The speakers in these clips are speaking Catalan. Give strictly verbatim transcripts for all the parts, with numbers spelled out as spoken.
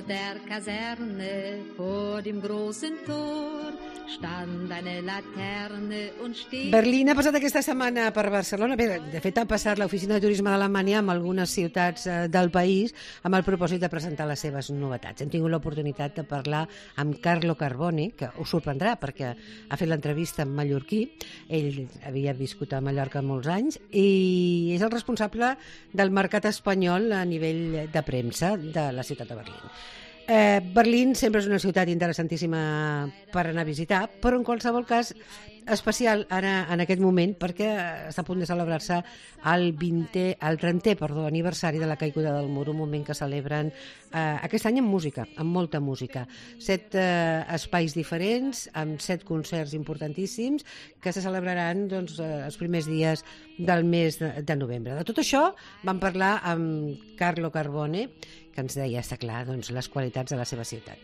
der Kaserne vor dem großen Tor stand eine Laterne und steht... Berlín ha passat aquesta setmana per Barcelona. Bé, de fet, ha passat l'Oficina de Turisme d'Alemanya amb algunes ciutats del país amb el propòsit de presentar les seves novetats. Hem tingut l'oportunitat de parlar amb Carlo Carboni, que us sorprendrà perquè ha fet l'entrevista amb mallorquí. Ell havia viscut a Mallorca molts anys i és el responsable del mercat espanyol a nivell de premsa de la ciutat de Berlín. Eh, Berlín sempre és una ciutat interessantíssima per anar a visitar, però en qualsevol cas especial ara en aquest moment perquè està a punt de celebrar-se el vintè, el trentè, perdó, aniversari de la caiguda del mur, un moment que celebren eh, aquest any amb música, amb molta música. Set eh, espais diferents, amb set concerts importantíssims que se celebraran doncs, eh, els primers dies del mes de, de novembre. De tot això vam parlar amb Carlo Carbone, que ens deia, està clar, doncs, les qualitats de la seva ciutat.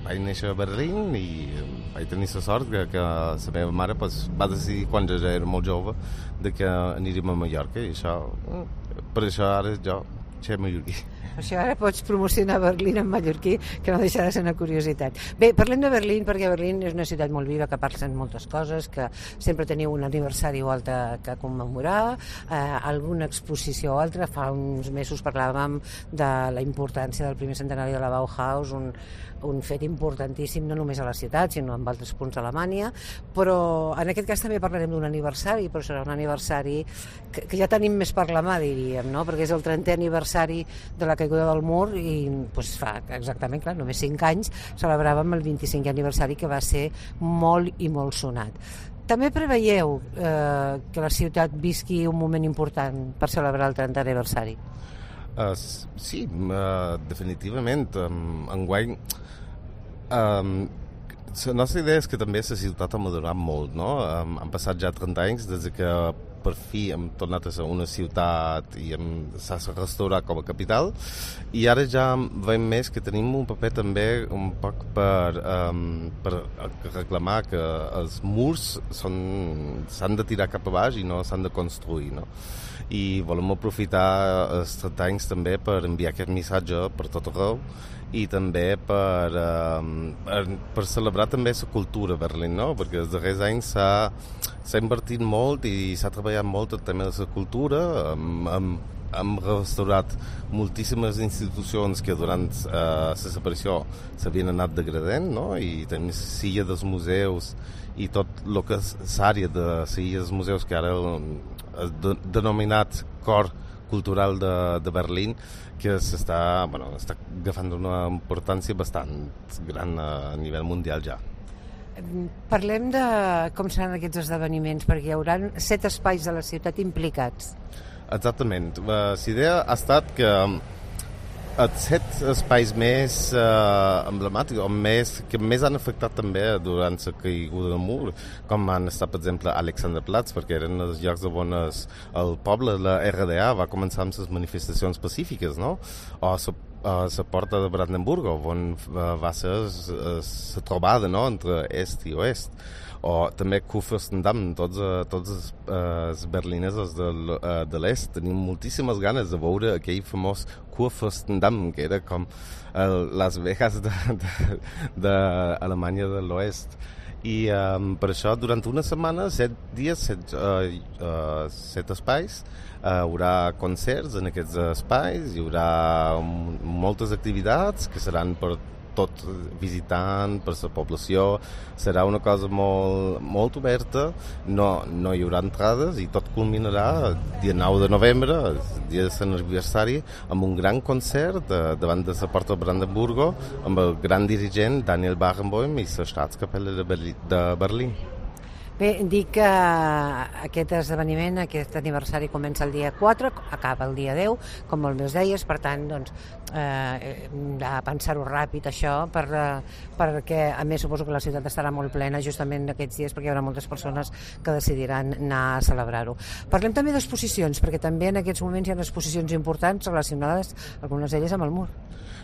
Vaig néixer a Berlín i vaig tenir la sort que, que la meva mare pues, va decidir, quan jo ja era molt jove, de que aniríem a Mallorca i això, per això ara jo soc mallorquí. Per això ara pots promocionar Berlín en mallorquí, que no deixa de ser una curiositat. Bé, parlem de Berlín perquè Berlín és una ciutat molt viva, que parlen moltes coses, que sempre teniu un aniversari o altre que commemorar, eh, alguna exposició o altra. Fa uns mesos parlàvem de la importància del primer centenari de la Bauhaus, un, un fet importantíssim no només a la ciutat, sinó en altres punts d'Alemanya, però en aquest cas també parlarem d'un aniversari, però serà un aniversari que, que ja tenim més per la mà, diríem, no? Perquè és el trentè aniversari de la caiguda del mur i pues, fa exactament, clar, només cinc anys celebràvem el vint-i-cinquè aniversari, que va ser molt i molt sonat. També preveieu eh, que la ciutat visqui un moment important per celebrar el trentè aniversari? Uh, sí, uh, definitivament. Um, enguany, um, la nostra idea és que també la ciutat ha madurat molt, no? Um, han passat ja trenta anys des que per fi hem tornat a ser una ciutat i hem, s'ha restaurat com a capital, i ara ja veiem més que tenim un paper també un poc per, um, per reclamar que els murs són, s'han de tirar cap a baix i no s'han de construir, no? I volem aprofitar els trenta anys també per enviar aquest missatge per tot arreu i també per, uh, per celebrar també la cultura a Berlín, no? Perquè els darrers anys s'ha, s'ha invertit molt i s'ha treballat molt el tema de la cultura. Hem, hem, hem restaurat moltíssimes institucions que durant uh, la separació s'havien anat degradant, no? I tenim la silla dels museus i tot el que és l'àrea de la silla dels museus, que ara és de, denominat cor cultural de, de Berlín, que s'està, bueno, està agafant una importància bastant gran a nivell mundial ja. Parlem de com seran aquests esdeveniments, perquè hi haurà set espais de la ciutat implicats. Exactament. La idea ha estat que els set espais més uh, emblemàtics o més, que més han afectat també durant la caiguda del mur, com han estat, per exemple, Alexanderplatz, perquè eren els llocs on es, el poble, la R D A, va començar amb les manifestacions pacífiques, no? O la la porta de Brandenburg, on va ser la trobada, no?, entre est i oest. O també Kurfürstendamm, tots, tots els, els berlinesos de, de l'est tenim moltíssimes ganes de veure aquell famós Kurfürstendamm, que era com el, les Vegas d'Alemanya de, de, de l'oest. I um, per això, durant una setmana, set dies, set, uh, uh, set espais, uh, hi haurà concerts en aquests espais, hi haurà um, moltes activitats que seran per tot visitant, per la població. Serà una cosa molt, molt oberta, no, no hi haurà entrades i tot culminarà el dia nou de novembre, el dia de l'aniversari, amb un gran concert de, davant de la porta de Brandenburgo amb el gran dirigent Daniel Barenboim i la Staatskapelle de, Berlí, de Berlín. Bé, dic que aquest esdeveniment, aquest aniversari comença el dia quatre, acaba el dia deu, com molt bé us deies, per tant, doncs, eh, de pensar-ho ràpid, això, per, perquè, a més, suposo que la ciutat estarà molt plena justament aquests dies, perquè hi haurà moltes persones que decidiran anar a celebrar-ho. Parlem també d'exposicions, perquè també en aquests moments hi ha exposicions importants relacionades, algunes d'elles, amb el mur.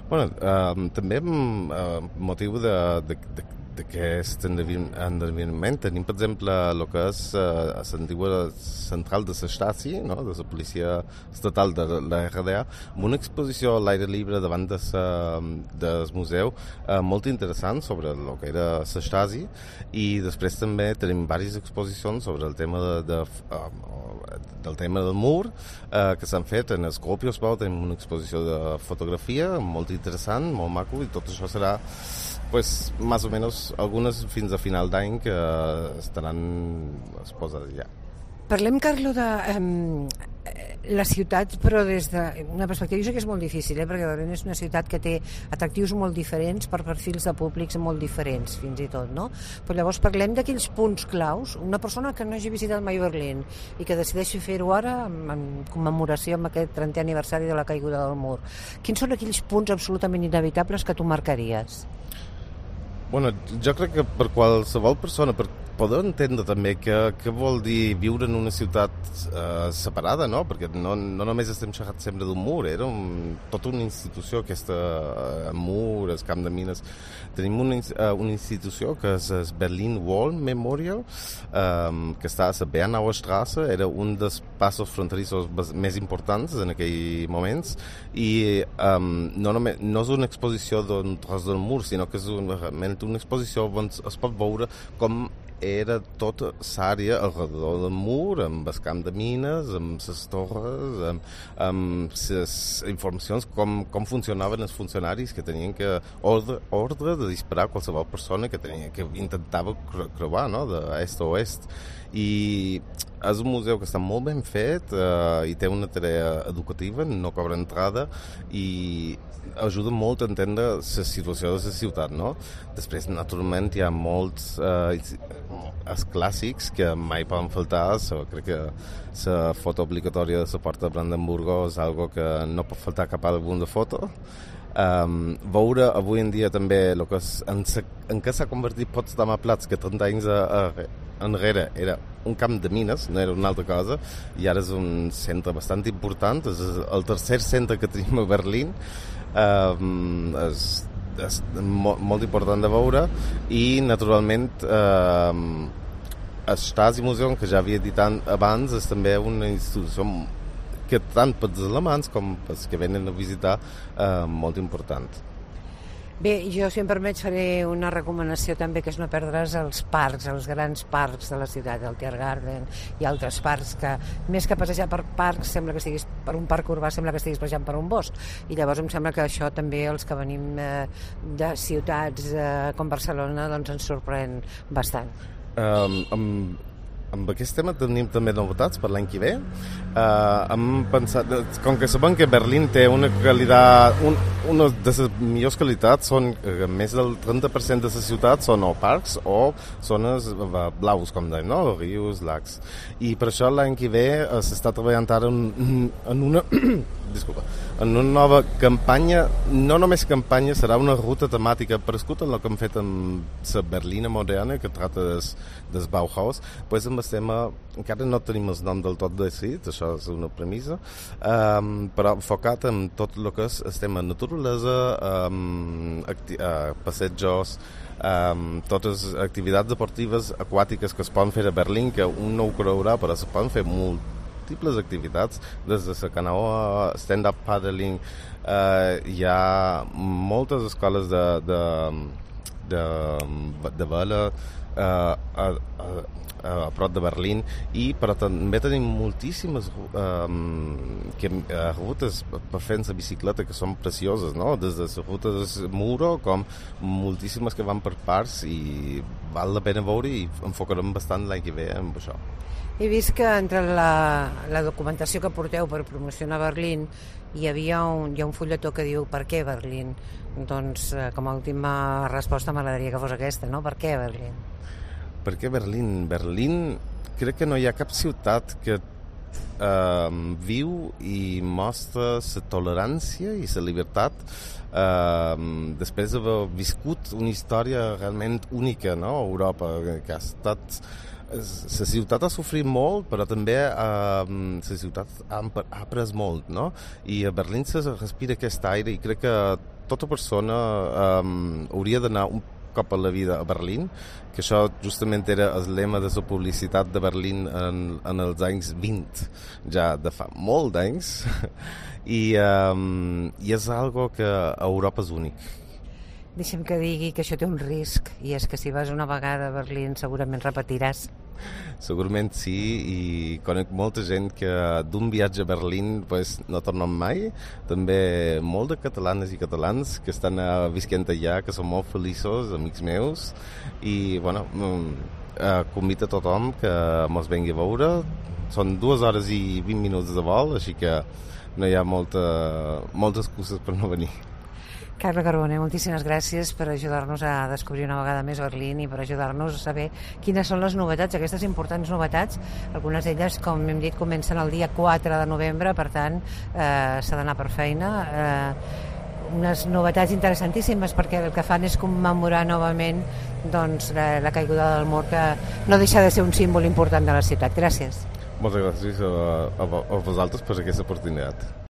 Bueno, eh, també amb eh, motiu de, de, de d'aquest endevinament. Tenim, per exemple, el que és uh, l'antigua central de la Stasi, no? De la policia estatal de la R D A, amb una exposició a l'aire lliure davant de sa, del museu uh, molt interessant sobre el que era la Stasi, i després també tenim diverses exposicions sobre el tema de, de, uh, del tema del mur uh, que s'han fet en Skopje-Bau. Tenim una exposició de fotografia molt interessant, molt maco, i tot això serà pues, más o menos algunes fins a final d'any que estaran exposades ja. Parlem, Carlo, de um, la ciutat, però des d'una perspectiva, jo sé que és molt difícil, eh? Perquè Berlín és una ciutat que té atractius molt diferents per perfils de públics molt diferents, fins i tot, no? Però llavors parlem d'aquells punts claus. Una persona que no hagi visitat mai Berlín i que decideixi fer-ho ara en, en commemoració amb aquest trentè aniversari de la caiguda del mur. Quins són aquells punts absolutament inevitables que tu marcaries? Bueno, jo crec que per qualsevol persona, per poder entendre també què, què vol dir viure en una ciutat eh, separada, no? Perquè no, no només estem xerrant sempre d'un mur, era un, tota una institució, aquesta uh, mur, el camp de mines. Tenim una, uh, una institució que és el Berlin Wall Memorial, um, que està a la Bernauer Straße, era un dels passos fronterissos més importants en aquells moments, i um, no, només, no és una exposició d'un tros del mur, sinó que és una, realment una exposició on es pot veure com era tota l'àrea alrededor del mur, amb el camp de mines, amb les torres, amb, amb les informacions, com, com funcionaven els funcionaris que tenien que ordre, ordre de disparar a qualsevol persona que, tenia, que intentava creuar, no? d'est a oest. I és un museu que està molt ben fet eh, i té una tarea educativa, no cobra entrada, i ajuda molt a entendre la situació de la ciutat, no? Després, naturalment, hi ha molts eh, els clàssics que mai poden faltar. So, crec que la foto obligatòria de la porta de Brandenburgo és algo que no pot faltar cap àlbum de foto. Um, veure avui en dia també el que és, en, sa, en què s'ha convertit Potsdamer Platz, que trenta anys a, a, enrere era un camp de mines, no era una altra cosa, i ara és un centre bastant important, és el tercer centre que tenim a Berlín. Um, és, és molt, molt important de veure, i naturalment um, el Stasi Museum, que ja havia dit abans, és també una institució que tant pels alemans com pels que venen a visitar eh, molt important. Bé, jo, si em permets, faré una recomanació també, que és no perdre's els parcs, els grans parcs de la ciutat, el Tiergarten i altres parcs, que més que passejar per parcs, sembla que estiguis per un parc urbà, sembla que estiguis passejant per un bosc. I llavors em sembla que això també, els que venim eh, de ciutats eh, com Barcelona, doncs ens sorprèn bastant. Um, amb Amb aquest tema tenim també novetats per l'any que ve. Uh, hem pensat, com que sabem que Berlín té una qualitat, un, una de les millors qualitats, són uh, més del trenta per cent de la ciutat són o parcs o zones uh, blaus, com deim, no? Rius, lacs. I per això l'any que ve uh, s'està treballant ara en, en una disculpa, en una nova campanya, no només campanya, serà una ruta temàtica parescut en el que hem fet amb la Berlina moderna, que tracta des, des Bauhaus. Pues amb el tema, encara no tenim el nom del tot decidit, això és una premissa, um, però enfocat en tot el que és el tema naturalesa, um, acti- uh, passejos, um, totes les activitats deportives aquàtiques que es poden fer a Berlín, que un no ho creurà, però es poden fer molt múltiples activitats, des de la canoa, stand-up paddling, eh, hi ha moltes escoles de, de, de, de vela eh, a, a, a prop de Berlín, i però també tenim moltíssimes um, que, uh, rutes per fer la bicicleta que són precioses, no? Des de les rutes Muro com moltíssimes que van per parts, i val la pena veure, i enfocarem bastant l'any que ve amb això. He vist que entre la, la documentació que porteu per promocionar Berlín hi havia un, hi ha un fulletó que diu per què Berlín? Doncs eh, com a última resposta m'agradaria que fos aquesta, no? Per què Berlín? Per què Berlín? Berlín, crec que no hi ha cap ciutat que eh, viu i mostra la tolerància i la llibertat eh, després d'haver viscut una història realment única, no? A Europa, que ha estat... La ciutat ha sofrit molt, però també eh, la ciutat ha, ha après molt, no? I a Berlín se respira aquest aire, i crec que tota persona eh, hauria d'anar un, cop a la vida a Berlín, que això justament era el lema de la publicitat de Berlín en, en els anys vint, ja de fa molt d'anys, i, um, i és algo que a Europa és únic. Deixa'm que digui que això té un risc, i és que si vas una vegada a Berlín segurament repetiràs. Segurament sí, i conec molta gent que d'un viatge a Berlín pues, no tornen mai. També molt de catalanes i catalans que estan uh, visquent allà, que són molt feliços, amics meus, i bueno, uh, convido a tothom que mos vengui a veure. Són dues hores i vint minuts de vol, així que no hi ha molta, moltes excuses per no venir. Carlo Carbone, moltíssimes gràcies per ajudar-nos a descobrir una vegada més Berlín i per ajudar-nos a saber quines són les novetats, aquestes importants novetats. Algunes d'elles, com hem dit, comencen el dia quatre de novembre, per tant, eh, s'ha d'anar per feina. Eh, unes novetats interessantíssimes perquè el que fan és commemorar novament doncs, la, la caiguda del mur, que no deixa de ser un símbol important de la ciutat. Gràcies. Moltes gràcies a, a, a vosaltres per aquesta oportunitat.